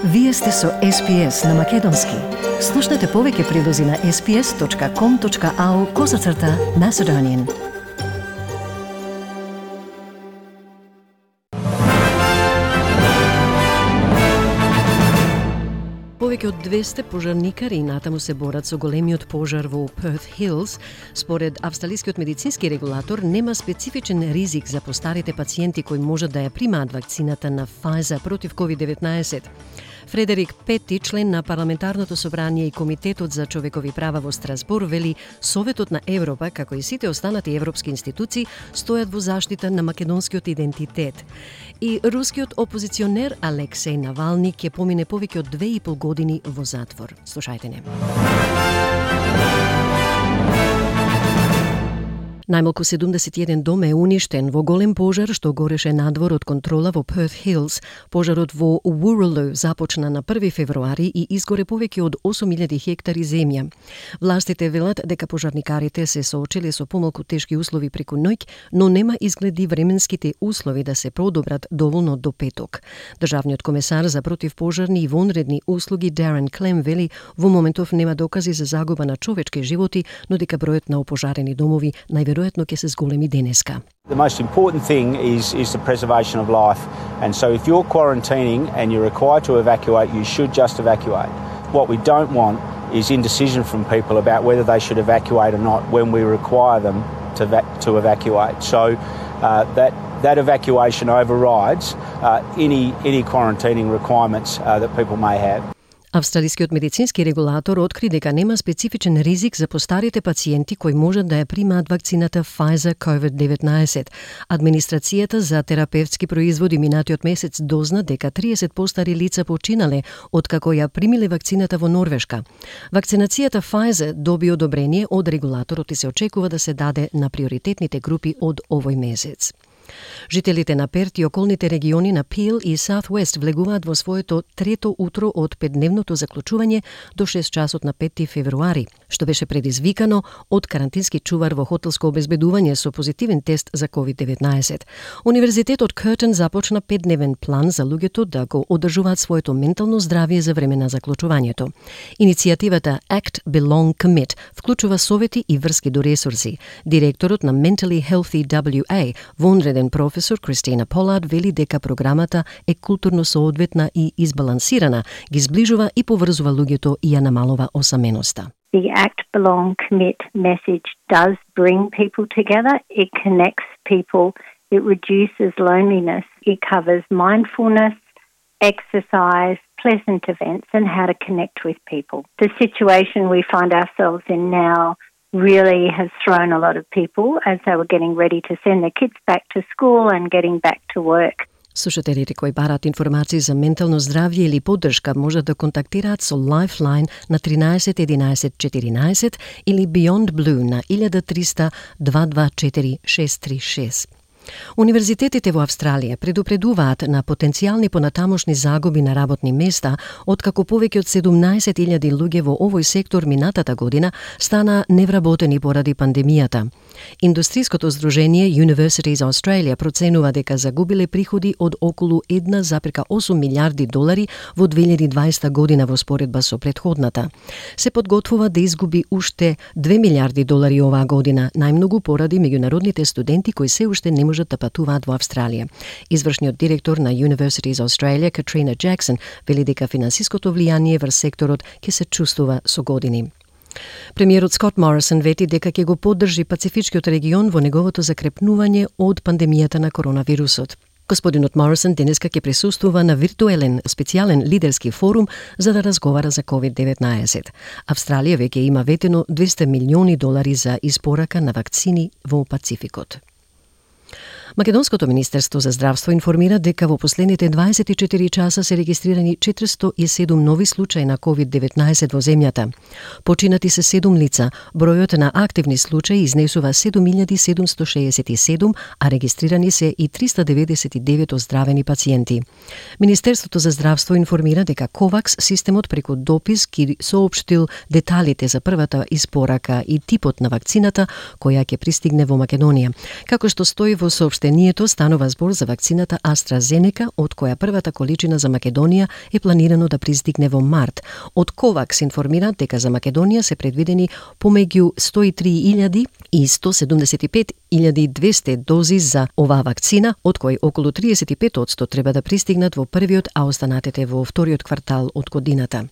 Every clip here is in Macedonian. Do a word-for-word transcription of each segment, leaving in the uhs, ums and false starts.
Вие сте со Ес Би Ес на Македонски. Слушнете повеќе прилози на ес би ес точка ком точка ау козацрта Macedonian. Повеќе од двесте пожарникари натаму се борат со големиот пожар во Перт Хилс. Според австралискиот медицински регулатор нема специфичен ризик за постарите пациенти кои можат да ја примаат вакцината на Pfizer против ковид деветнаесет. Фредерик Пети, член на Парламентарното собрание и Комитетот за човекови права во Страсбур, вели Советот на Европа, како и сите останати европски институции, стојат во заштита на македонскиот идентитет. И рускиот опозиционер Алексеј Навални ќе помине повеќе од две и пол години во затвор. Слушајте не. Најмалку седумдесет и еден дом е уништен во голем пожар што гореше надвор од контрола во Перт Хилс. Пожарот во Урулу започна на први февруари и изгоре повеќе од осум илјади хектари земја. Властите велат дека пожарникарите се соочиле со помалку тешки услови преку ноќ, но нема изгледи временските услови да се продобрат доволно до петок. Државниот комесар за противпожарни и вонредни услуги Дарен Клем вели во моментов нема докази за загуба на човечки животи, но дека бројот на опожарени домови најверојатно ќе се зголеми денеска. The most important thing is, is the preservation of life. And so if you're quarantining and you're required to evacuate, you should just evacuate. What we don't want is indecision from people about whether they should evacuate or not when we require them to, va- to evacuate. So uh, that, that evacuation overrides uh, any, any quarantining requirements uh, that people may have. Австралискиот медицински регулатор откри дека нема специфичен ризик за постарите пациенти кои можат да ја примаат вакцината Pfizer ковид деветнаесет. Администрацијата за терапевтски производи минатиот месец дозна дека триесет постари лица починале откако ја примиле вакцината во Норвешка. Вакцинацијата Pfizer доби одобрение од регулаторот и се очекува да се даде на приоритетните групи од овој месец. Жителите на Перт и околните региони на Пил и Саутвест влегуваат во своето трето утро од петдневното заклучување до шест часот на пети февруари, што беше предизвикано од карантински чувар во хотелско обезбедување со позитивен тест за ковид деветнаесет. Универзитетот Кертон започна петдневен план за луѓето да го одржуваат своето ментално здравје за време на заклучувањето. Иницијативата Act Belong Commit вклучува совети и врски до ресурси. Директорот на Mentally Healthy дабљу ей, вонреден професор Кристина Полард вели дека програмата е културно соодветна и избалансирана, ги зближува и поврзува луѓето и ја намалува осаменоста. The Act Belong Commit message does bring people together. It connects people. It reduces loneliness. It covers mindfulness, exercise, pleasant events and how to connect with people. The situation we find ourselves in now really has thrown a lot of people as they were getting ready to send their kids back to school and getting back to work. Слушателите кои бараат информации за ментално здравје или поддршка можат да контактираат со Lifeline на тринаесет единаесет четиринаесет или Beyond Blue на илјада триста дваесет и две четири шест три шест. Универзитетите во Австралија предупредуваат на потенцијални понатамошни загуби на работни места, откако повеќе од седумнаесет илјади луѓе во овој сектор минатата година стана невработени поради пандемијата. Индустриското здружение Universities Australia проценува дека загубиле приходи од околу една запирка осум милијарди долари во две илјади и дваесета година во споредба со претходната. Се подготвува да изгуби уште две милијарди долари оваа година, најмногу поради меѓународните студенти кои се уште не можат да патуваат во Австралија. Извршниот директор на Universities Australia, Катрина Джексон, вели дека финансиското влијание врз секторот ќе се чувствува со години. Премиерот Скот Морисон вети дека ќе го поддржи Пацифичкиот регион во неговото закрепнување од пандемијата на коронавирусот. Господинот Морисон денеска ќе присуствува на виртуелен специјален лидерски форум за да разговара за ковид деветнаесет. Австралија веќе има ветено двесте милиони долари за испорака на вакцини во Пацификот. Македонското Министерство за здравство информира дека во последните дваесет и четири часа се регистрирани четиристотини и седум нови случаи на ковид деветнаесет во земјата. Починати се седум лица, бројот на активни случаи изнесува седум илјади седумстотини шеесет и седум, а регистрирани се и триста деветдесет и девет оздравени пациенти. Министерството за здравство информира дека Ковакс системот преку допис ги соопштил деталите за првата испорака и типот на вакцината која ќе пристигне во Македонија. Како што стои во соопштението Саопштението станува збор за вакцината AstraZeneca, од која првата количина за Македонија е планирано да пристигне во март. Од COVAX информираат дека за Македонија се предвидени помеѓу сто и три илјади и сто седумдесет и пет илјади и двесте дози за оваа вакцина, од кои околу триесет и пет одсто треба да пристигнат во првиот, а останатите во вториот квартал од годината.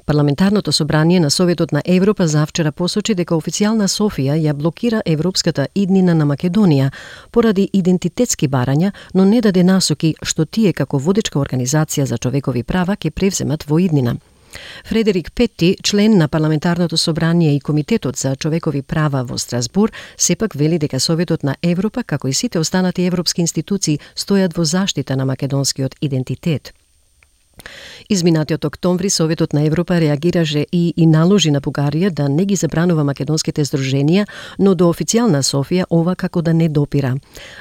Парламентарното собрание на Советот на Европа завчера посочи дека официјална Софија ја блокира европската иднина на Македонија поради идентитетски барања, но не даде насоки што тие како водечка организација за човекови права ќе превземат во иднина. Фредерик Петти, член на Парламентарното собрание и Комитетот за човекови права во Страсбур, сепак вели дека Советот на Европа, како и сите останати европски институции, стојат во заштита на македонскиот идентитет. Изминатиот октомври Советот на Европа реагираше и, и наложи на Бугарија да не ги забранува македонските здруженија, но до официјална Софија ова како да не допира.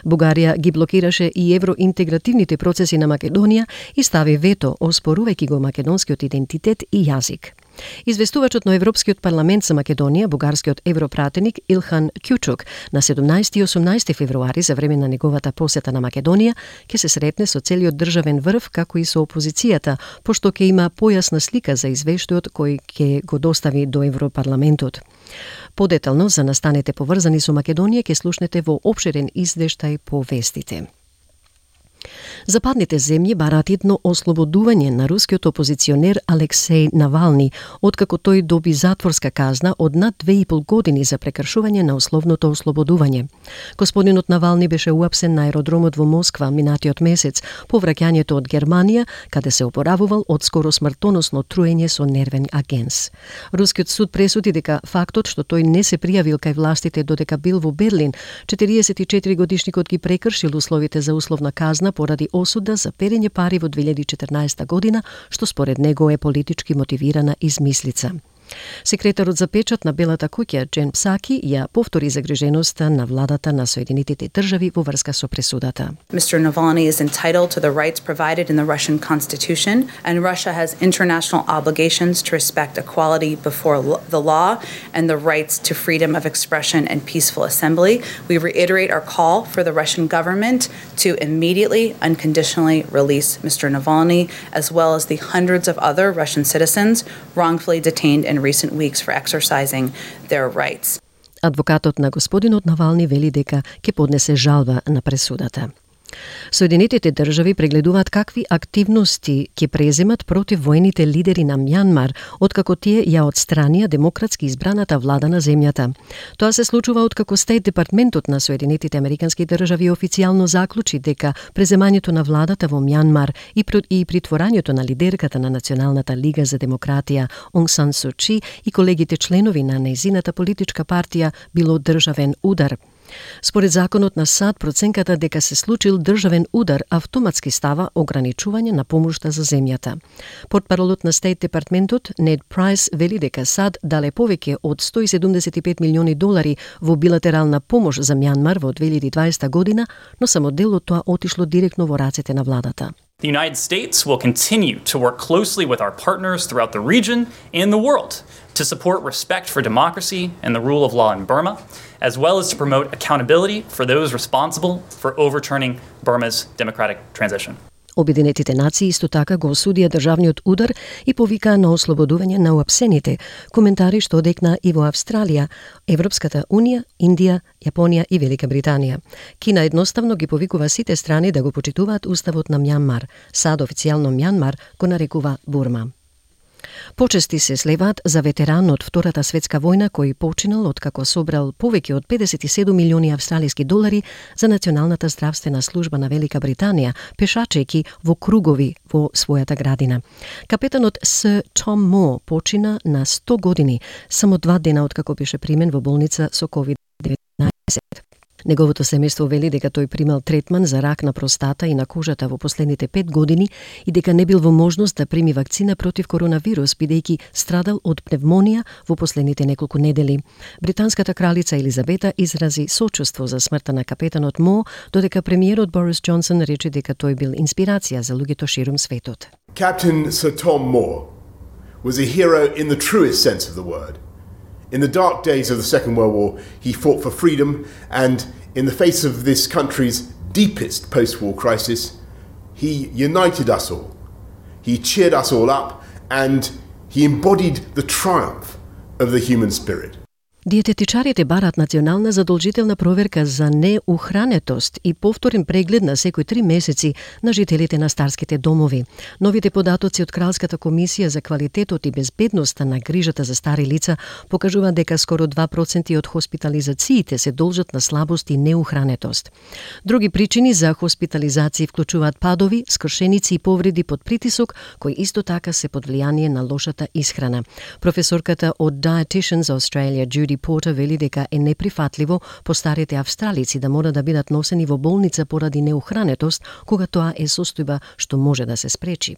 Бугарија ги блокираше и евроинтегративните процеси на Македонија и стави вето, оспорувајќи го македонскиот идентитет и јазик. Известувачот на Европскиот парламент за Македонија, бугарскиот европратеник Илхан Кјучук, на седумнаесети и осумнаесети февруари за време на неговата посета на Македонија, ќе се сретне со целиот државен врв, како и со опозицијата, пошто ќе има појасна слика за извештајот кој ќе го достави до Европарламентот. Подетално за настаните поврзани со Македонија ќе слушнете во опширен извештај по вестите. Западните земји бараат едно ослободување на рускиот опозиционер Алексеј Навални, откако тој доби затворска казна од над две и пол години за прекршување на условното ослободување. Господинот Навални беше уапсен на аеродромот во Москва минатиот месец по враќањето од Германија, каде се опоравувал од скоро смртоносно труење со нервен агенс. Рускиот суд пресуди дека фактот што тој не се пријавил кај властите додека бил во Берлин, четириесет и четири годишникот ги прекршил условите за условна казна поради осуда за перење пари во две илјади и четрнаесета година, што според него е политички мотивирана измислица. Секретарот за печат на Белата куќа Джен Псаки ја повтори загриженоста на владата на Соединетите држави во врска со пресудата. Mister Navalny is entitled to the rights provided in the Russian Constitution, and Russia has international obligations to respect equality before the law and the rights to freedom of expression and peaceful assembly. We reiterate our call for the Russian government to immediately, unconditionally release Mister Navalny, as well as the hundreds of other Russian citizens wrongfully detained in recent weeks for exercising their rights. Адвокатот на господинот Навални вели дека ќе поднесе жалба на пресудата. Соединетите држави прегледуваат какви активности ќе преземат против воените лидери на Мјанмар, откако тие ја отстранија демократски избраната влада на земјата. Тоа се случува откако Стејт департментот на Соединетите американски држави официјално заклучи дека преземањето на владата во Мјанмар и, и притворањето на лидерката на Националната лига за демократија Онг Сан Су Чи и колегите членови на нејзината политичка партија било државен удар. Според законот на САД, проценката дека се случил државен удар автоматски става ограничување на помошта за земјата. Портпаролот на Стејт департментот Нед Прайс вели дека САД дале повеќе од сто и седумдесет и пет милиони долари во билатерална помош за Мјанмар во две илјади и дваесета година, но само дел од тоа отишло директно во рацете на владата. The United States will continue to work closely with our partners throughout the region and the world to support respect for democracy and the rule of law in Burma, as well as to promote accountability for those responsible for overturning Burma's democratic transition. Обединетите нации исто така го осудија државниот удар и повикаа на ослободување на уапсените, коментари што одекна и во Австралија, Европската унија, Индија, Јапонија и Велика Британија. Кина едноставно ги повикува сите страни да го почитуваат уставот на Мјанмар. САД официјално Мјанмар го нарекува Бурма. Почести се слеваат за ветеран од Втората светска војна кој починал откако собрал повеќе од педесет и седум милиони австралиски долари за Националната здравствена служба на Велика Британија, пешачејќи во кругови во својата градина. Капетанот Сир Том Мо почина на сто години, само два дена откако беше примен во болница со ковид деветнаесет. Неговото семејство вели дека тој примал третман за рак на простата и на кожата во последните пет години и дека не бил во можност да прими вакцина против коронавирус, бидејќи страдал од пневмонија во последните неколку недели. Британската кралица Елизабета изрази сочувство за смртта на капетанот Мо, додека премиерот Борис Џонсон рече дека тој бил инспирација за луѓето ширум светот. Captain Sir Tom Moore was a hero in the truest sense of the word. In the dark days of the Second World War, he fought for freedom and in the face of this country's deepest post-war crisis, he united us all. He cheered us all up, and he embodied the triumph of the human spirit. Диететичарите барат национална задолжителна проверка за неухранетост и повторен преглед на секои три месеци на жителите на старските домови. Новите податоци од Кралската комисија за квалитетот и безбедноста на грижата за стари лица покажуваат дека скоро два проценти од хоспитализациите се должат на слабост и неухранетост. Други причини за хоспитализации вклучуваат падови, скршеници и повреди под притисок, кои исто така се под влијание на лошата исхрана. Професорката од Dietitians Australia, Judy Porter, вели дека е неприфатливо постарите австралици да мора да бидат носени во болница поради неухранетост, кога тоа е состојба што може да се спречи.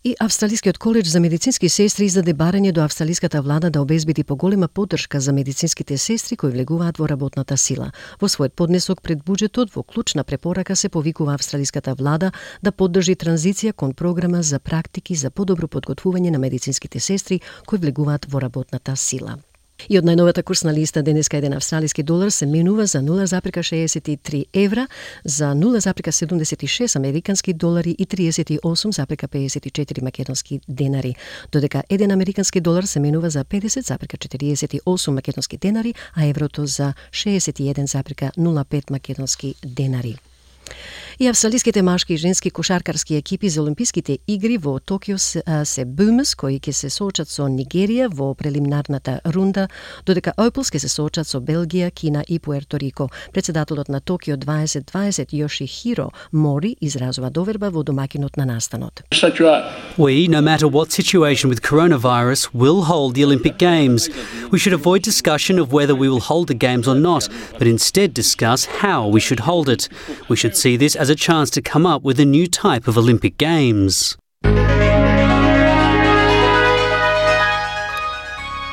И Австралискиот коледж за медицински сестри издаде барање до австралиската влада да обезбеди поголема поддршка за медицинските сестри кои влегуваат во работната сила. Во својот поднесок пред буџетот, во клучна препорака се повикува австралиската влада да поддржи транзиција кон програма за практики за подобро подготвување на медицинските сестри кои влегуваат во работната сила. И од најновата курсна листа денеска еден австралиски долар се менува за нула запирка шеесет и три евра, за нула запирка седумдесет и шест американски долари и триесет и осум запирка пеесет и четири македонски денари, додека еден американски долар се менува за педесет запирка четириесет и осум македонски денари, а еврото за шеесет и еден запирка нула пет македонски денари. И австралиските машки и женски кошаркарски екипи за Олимписките игри во Токио се, се Boomers, кои ќе се соочат со Нигерија во прелиминарната рунда, додека Opals ќе се соочат со Белгија, Кина и Пуерто Рико. Председателот на Токио дваесет дваесет Йошихиро Мори изразува доверба во домакинот на настанот. We, no matter what situation with coronavirus, will hold the Olympic Games. We should avoid discussion of whether we will hold the Games or not, but instead discuss how we should hold it. We should see this as a chance to come up with a new type of Olympic Games.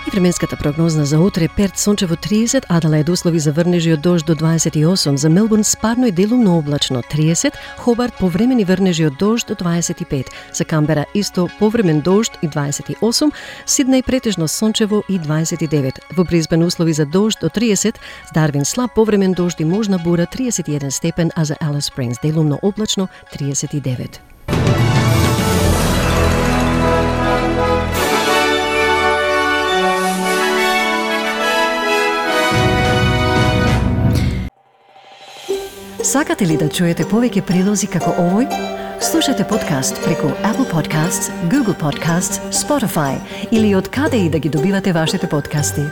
И временската прогнозна за утре: Перт сончево триесет, Аделаид услови за врнежи од дожд до дваесет и осум, за Мелбурн спарно и делумно облачно триесет, Хобарт повремени врнежи од дожд до дваесет и пет, за Камбера исто повремен дожд и дваесет и осум, Сиднеј претежно сончево и дваесет и девет, во Брисбен услови за дожд до тридесет, Дарвин слаб повремен дожд и можна бура триесет и еден степен, а за Алис Спрингс делумно облачно триесет и девет. Сакате ли да чуете повеќе прилози како овој? Слушате подкаст преку Apple Podcasts, Google Podcasts, Spotify или од каде и да ги добивате вашите подкасти.